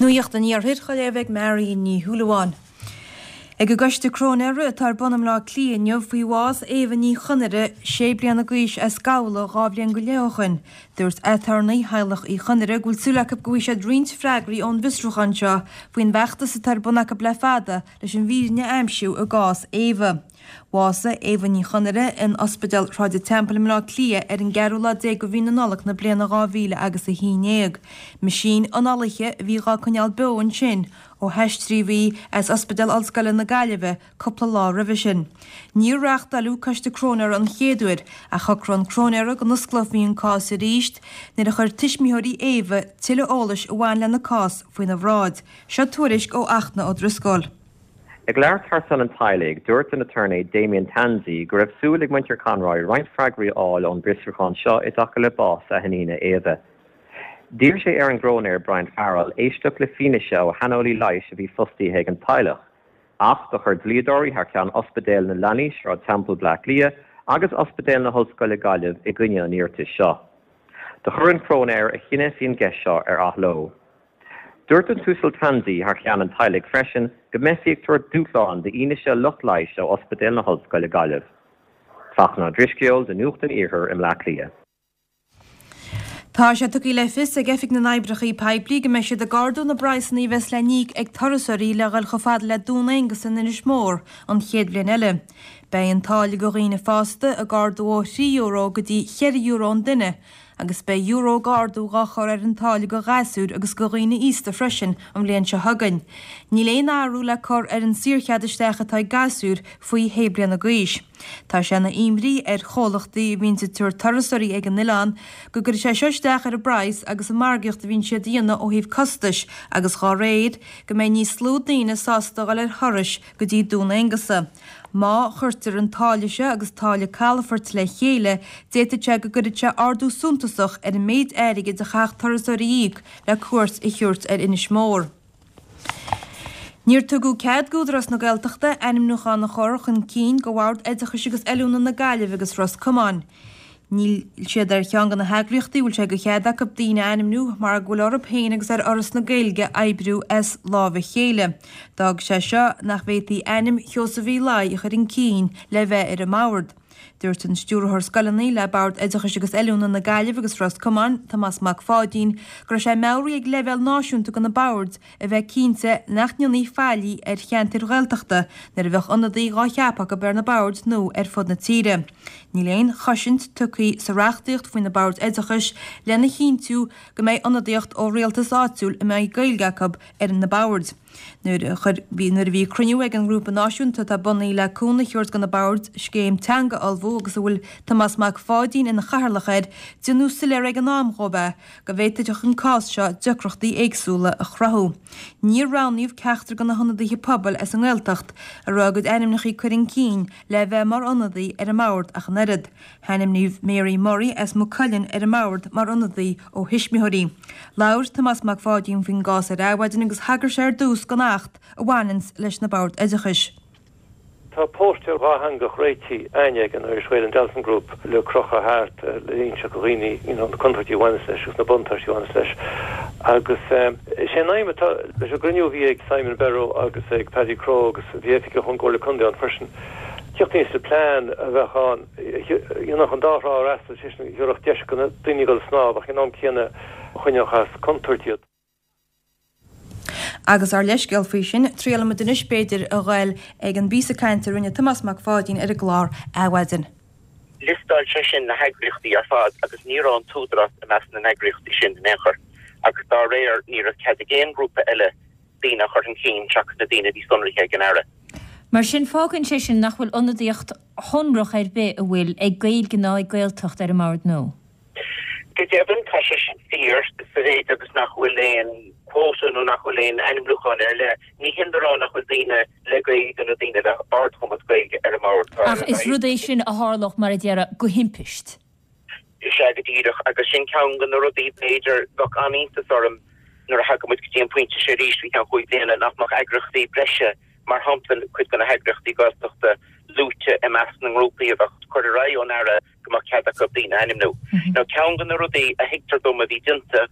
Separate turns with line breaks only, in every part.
Nuacht an Iarthair á léamh ag Mary Ní Shúilleabháin. Ag an gCoiste Cróinéara atá ar bun i mBleá Cliath inniu faoi bhás Éabha Ní Chonaire, 6 bliana d'aois as Gabhla 2 bhliain go leith ó shoin, dúirt aturnae theaghlach Uí Chonaire go bhfuil súil acu go bhfaighidh siad roinnt freagraí ón bhfiosrúchán seo faoin bhfeachtas atá ar bun acu le fada leis an bhfírinne a aimsiú i gcás Éabha. Bhásaigh Éabha Ní Chonaire in Ospidéal Shráid an Teampaill i mBleá Cliath ar an gceathrú lá déag de mhí na Nollag na bliana 2000 agus 11. Meaisín análaithe a bhí dhá coinneáil beo ansin ó haistríodh í as Ospidéal Ollscoile na Gaillimhe cúpla lá roimhe sin. Níor reáchtáileadh Coiste Cróinéara an chéad uair ach shocraigh an cróinéara go n-osclófaí an cás arís nuair a chuir tuismitheoirí Éabha tuilleadh eolais a bhain lena cás faoina bhráid. Seo tuairisc ó Fhachtna Ó Drisceoil.
Ag labhairt thar son an teaghlaigh, dúirt an aturnae Damien Tansey go raibh súil ag muintir Conroy roinnt freagraí a fháil ón bhfiosrúchán seo i dtaca le bás a hiníne Éabha. D'iarr sé ar an gcróinéir Brian Farrell éisteacht le fianaise ó shaineolaí leighis a bhí fostaithe ag an teaghlach. Ach do chuir dlíodóirí thar ceann Ospidéal na Leanaí Sráid Teampall Bleá Cliath agus Ospidéal na hOllscoile Gaillimh i gcoinne an iarratais seo. Do chuir an cróinéir a chinneadh faoin gceist seo ar athló. Dúirt an tUasal Tansey thar cheann an teaghlaigh freisin go mbeifí ag tabhairt dúshláin d'fhianaise lucht leighis ó Ospidéal na hOllscoile Gaillimh. Fachtna Ó Drisceoil do Nuacht an Iarthair i mBleá Cliath.
Tá sé tugtha le fios ag Oifig na nOibreacha Poiblí go mbeidh siad ag ardú na bpraghsanna a bheas le n-íoc ag turasóirí le dhul chomh fada le Dún Aonghasa in Inis Mór an chéad bhliain eile. Beidh an táille do dhaoine fásta ag ardú ó €3 go dtí €4 an duine agus beidh euro d'ardú dhá chur ar an táille do ghasúir agus do dhaoine aosta freisin an bhliain seo chugainn. Níl aon athrú le cur ar an saorchead isteach atá ag gasúir faoi shé bliana d'aois. Tá sé ina imní ar chomhlachtaí a bhíonns ag tabhairt turasóirí ag an oileán go gcuirfidh sé seo isteach ar a bpraghas agus an margaíocht a bhíonn siad a dhéanamh ó thaobh costais agus dhá réir go mbeidh níos lú daoine sásta dhul ar thurais go dtí Dún Aonghasa. Má chuirtear an táille seo agus táille calafoirt le chéile, d'fhéadfadh sé go gcuirfeadh sé ardú suntasach ar an méid airgid a chaithfeadh turasóirí a íoc le cuairt a thabhairt ar Inis Mór. Níor tugadh cead d'Údarás na Gaeltachta ainmniúchán a chur chun cinn do Bhord Oideachais agus Oiliúna na Gaillimhe agus Ros Comáin. Níl siad ar cheann de na heagraíochtaí a bhfuil sé de chead acu daoine a ainmniú mar go bhfuil orthu féin agus ar Fhoras na Gaeilge oibriú as lámh a chéile. D'fhág sé seo nach bhféadfaí ainm Sheosaimh Uí Laoi a chur chun cinn le bheith ar an mbord. Dúirt an Stiúrthóir Scoileanna le Bord Oideachais agus Oiliúna na Gaillimhe agus Ros Comáin, Tomás Mac Pháidín, go raibh sé meabhraithe ag leibhéal náisiúnta de na boird a bheith cinnte nach ndéanfaí faillí ar cheantair Ghaeltachta nuair a bheadh ionadaí dhá cheapadh acu ar na boird nó ar fud na tíre. Níl aon chosaint tugtha sa reachtaíocht faoi na boird oideachais lena chinntiú go mbeidh ionadaíocht ó rialtas áitiúil a mbeidh Gaeilge acu ar na boird. Nuair a nuair a bhí cruinniú ag an ngrúpa náisiúnta atá bunaithe le cúnamh a thabhairt do na boird scéim teanga a ullmhú agus a bhfuil Tomás Mac Pháidín ina chathaoirleach air, déanadh soiléir ag an am dhóibh é go bhféadfadh an cás seo deacrachtaí éagsúla a chruthú. Níor roghnaíodh ceachtar de na hionadaithe pobail as an nGaeltacht a raibh a gcuid ainmneacha curtha chun cinn le bheith mar ionadaí ar an mbord ach an oiread. Hainmníodh Mary Murray as Maigh Cuilinn ar an mbord mar ionadaí ó thuismitheoirí. Labhair Tomás Mac Pháidín faoin gcás ar Adhmhaidin agus thagair sé ar dtús don Acht a bhaineanns leis na Boird Oideachais.
Tá póstaer dhátheangach réitithe againne ag an Irish Whale and Dolphin Group le crochadh thart le inseacht do dhaoine you know na contúirtí a bhaineas leis agus na buntáistí a bhaineas leis. Agus is é an aidhm atá leis an gcruinniú a bhí ag Simon Berrow agus ag Paddy Crowe agus bhí oifigeach ón gComhairle Contae ann freisin, tíocht aníos le plean a bheadh ann a dhéanfadh an dá thrá a fhreastal, sé sin a thabharfadh deis do na daoine a dhul ag snámh ach ag an am céanna a choinneodh as contúirt iad.
Agus ár leithscéal faoi sin, triailfimid anois, b'fhéidir, a ghoil ag an bpíosa cainte a rinne Tomás Mac Pháidín ar an gclár Adhmhaidin.
Liostáil sé sin na heagraíochtaí ar fad agus ní raibh an tÚdarás i measc na n-eagraíochtaí sin in aon chor agus dá réir ní raibh cead ag aon ghrúpa eile daoine a chur chun cinn seachas na daoine a bhí sonraithe ag an Aire.
Mar sin, fágann sé sin nach bhfuil ionadaíocht shonrach ar bith, an bhfuil, ag Gaeilge ná ag Gaeltacht ar an mbord nó?
Go deimhin, tá sé sin fíor, sa mhéid agus nach bhfuil aon quota nó nach bhfuil aon ainmniúchán ar leith. Ní hin le rá nach bhfuil daoine le Gaeilge nó daoine le hardchumas Gaeilge ar an mbord.
Ach is rud é sin a tharlódh, mar a déarfá, go himpist.
Sea, go díreach. Agus sin ceann de na rudaí, b'fhéidir, bheadh an-iontas orm nuair a thagann muid go dtí an pointe seo arís faoi cheann chúig bliana, nach mbeadh eagraíochtaí breise, mar shampla cuid de na heagraíochtaí Gaeltachta, luaite i measc na ngrúpaí a bheadh curtha ar aghaidh ón Aire. go mbeadh cead acu daoine a ainmniú. Now ceann de na rudaí a thuigtear dom a bhí déanta.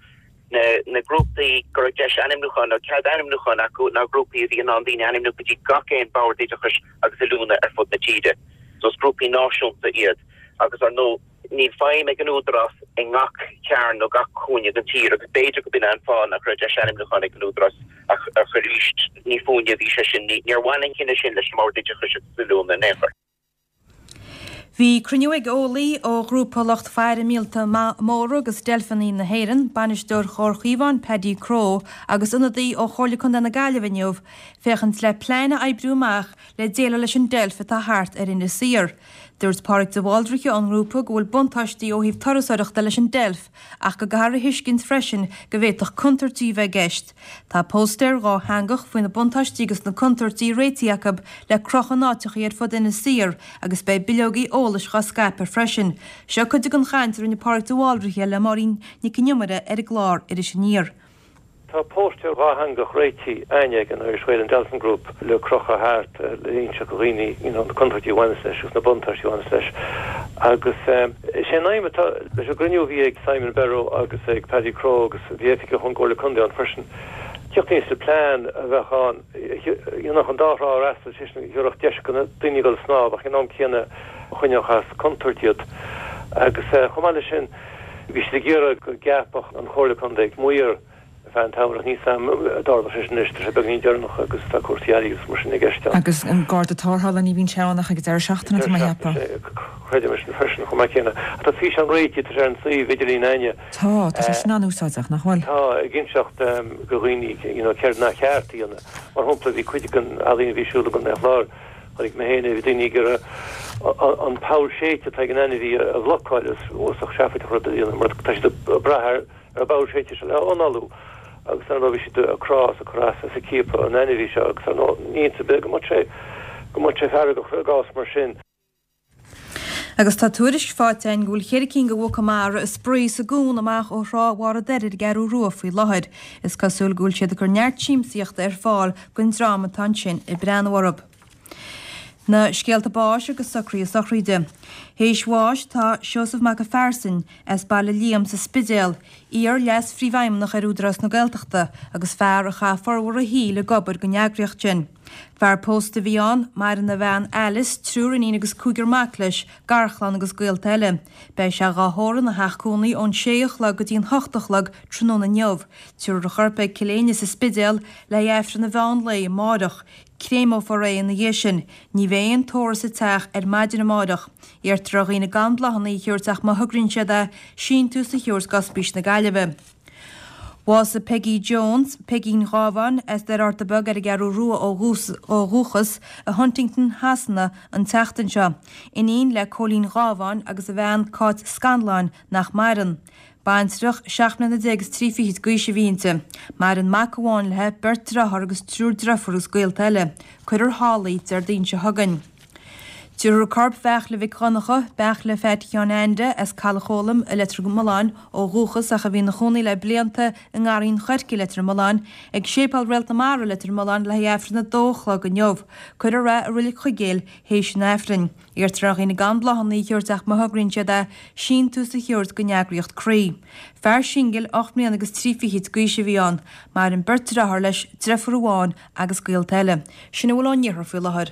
Na grúpaí go raibh deis ainmniúcháin nó cead ainmniúcháin acu ná grúpaí a bhí in ann daoine a ainmniú go dtí gach aon bhord oideachais agus oiliúna ar fud na tíre. So is grúpaí náisiúnta iad agus ar ndóigh níl feidhm ag an Údarás i ngach cearn nó gach cúinne den tír agus b'fhéidir go b'in é an fáth nach raibh deis ainmniúcháin ag an Údarás ach arís ní fúinne a bhí sé sin, níor bhain an cinneadh sin leis an mBord Oideachais agus Oiliúna in aon chor.
Bhí cruinniú ag eolaí ó ghrúpa lucht faire míolta móra agus deilfeanna na hÉireann, bainisteoir Chomhar Chaomháin Paddy Crowe agus ionadaí ó Chomhairle Contae na Gaillimhe inniu féachaint le plean a oibriú amach le déileáil leis an deilf atá thart ar Inis Oírr. Dúirt Pádraig de Bhaldraithe ón ngrúpa go bhfuil buntáistí ó thaobh turasóireachta leis an deilf ach go gcaithfear a thuiscint freisin go bhféadfadh contúirtí a bheith i gceist. Tá póstaer dhátheangach faoi na buntáistí agus na contúirtí réitithe acu le crochadh in áiteachaí ar fud Inis Oírr agus beidh bileogaí eolais dhá scaipeadh freisin. Seo cuid den chaint a rinne Pádraig de Bhaldraithe le Máirín Nic an Iomaire ar an gclár Iris Aniar.
Tá póstaer dhátheangach réitithe a'ainne ag an Irish Whale and Dolphin Group le crochadh thart le inseacht do dhaoine you know na contúirtí a bhaineas leis agus na buntáistí a bhaineas leis agus is é an aidhm atá leis an gcruinniú a bhí ag Simon Berrow agus ag Paddy Crowe agus bhí oifigeach ón gComhairle Contae ann freisin teacht aníos le plean a bheadh ann a dhéanfadh an dá thrá a fhreastal, sé sin a thabharfadh deis do na daoine a dhul ag snámh ach ag an am céanna a choinneodh as contúirt iad agus chomh maith leis sin Bhí siad ag iarraidh go gceapfadh an Chomhairle Contae maor ar feadh an tsamhraidh ach níl 's a'm an dtarlóidh sé sin anois, tá sé beagainín deireanach agus tá cúrsaí eile agus mar sin i gceist
ann. Agus an Garda Tarrthála, ní bhíonn sé ann ach ag an deireadh seachtaine, tá mé a cheapadh.
Creidim é sin freisin chomh maith céanna. Ach tá físeán réitithe, tá sé ar an suíomh idirlín a'ainne.
Tá, tá sé sin an-úsáideach, nach bhfuil?
Tá, ag inseacht do dhaoine you know céard nár cheart a dhéanamh. Mar shampla, bhí cuid den ealaín a bhí ar siúl i gContae an Chláir, Chonaic mé féin é, bhí daoine ag iarraidh an poll séidte atá ag an ainmhí a bhlocáil, is uafásach seafóideach rud a dhéanamh mar tá siad ag brath ar an bpoll séidte seo le análú agus ar ndóigh bhí siad ag crá is ag cur as is ag ciapadh an ainmhí seo agus ar ndóigh ní iontas ar bith go mbeadh sé go mbeadh sé feargach i gcás mar sin.
Agus tá tuairisc faighte againn go bhfuil cheithre cinn de mhuca mara ag spraoi sa gcuan amach ó thrá Bharr an Doire ar an gCeathrú Rua faoi láthair. Is cosúil go bhfuil siad ag cur neart siamsaíochta ar fáil don dream atá ansin ag breathnú orthu. Na scéalta báis agus socruithe sochraide. Théis bháis tá Seosamh Mac an Phearsain, as Baile Liam sa Spidéal, iar-Leas-Phríomhfheidhmeannach ar Údarás na Gaeltachta agus fear a chaith formhór a shaoil ag obair don eagraíocht sin. Fear pósta a bhí ann, maireann a bhean Alice, triúr iníon agus cúigear mac leis, garchlann agus gaolta eile. Beidh sé dhá thórramh ina theach cónaí ón sé a chlog go dtí an hocht a chlog tráthnóna inniu. Tabharfar a chorp ag Cill Éinne sa Spidéal le haghaidh Aifreann an mheán lae amáireach. Créimeofar é ina dhiaidh sin. Ní bheidh aon tórramh sa teach ar maidin amáireach. Iarrtar ar dhaoine gan bláthanna a thabhairt ach má thograíonn siad é, síntiús a thabhairt d'Ospís na Gaillimhe. Bhásaigh Peggy Jones, Peigín Ghábháin, as Doire Fhátharta Beag ar an gCeathrú Rua ó dhúchas, i Huntingdon Shasana an tseachtain seo. Iníon le Cóilín Gábháin agus a bhean Cáit Scanláin, nach maireann. Baintreach, 17 mbliana is 3 fichid d'aois a bhí inti. Maireann mac amháin léi, beirt driotháir agus triúr driofúr agus gaolta eile. Cuirfear thall í Déardaoin seo chugainn. Tabharfar corp Bheartla Mhic Dhonncha, Beartla Pheait Sheáin Ainde, as Caladh Chóilm i Leitir Mealláin ó dhúchas ach a bhí ina chónaí le blianta i nGarraí an Choirce i Leitir Mealláin, ag Séipéal Réalt na Mara i Leitir Mealláin le haghaidh Aifreann a dó a chlog inniu. Cuirfear é i Reilig Chuigéil théis an Aifrinn. Iarrtar ar dhaoine gan bláthanna a thabhairt ach má thograíonn siad é, síntiús a thabhairt don eagraíocht Croí. Fear singil, 8 mbliana agus 3 fichid d'aois a bhí ann. Maireann beirt driotháir leis, driofúr amháin agus gaolta eile. Sin a bhfuil ón iarthar faoi láthair.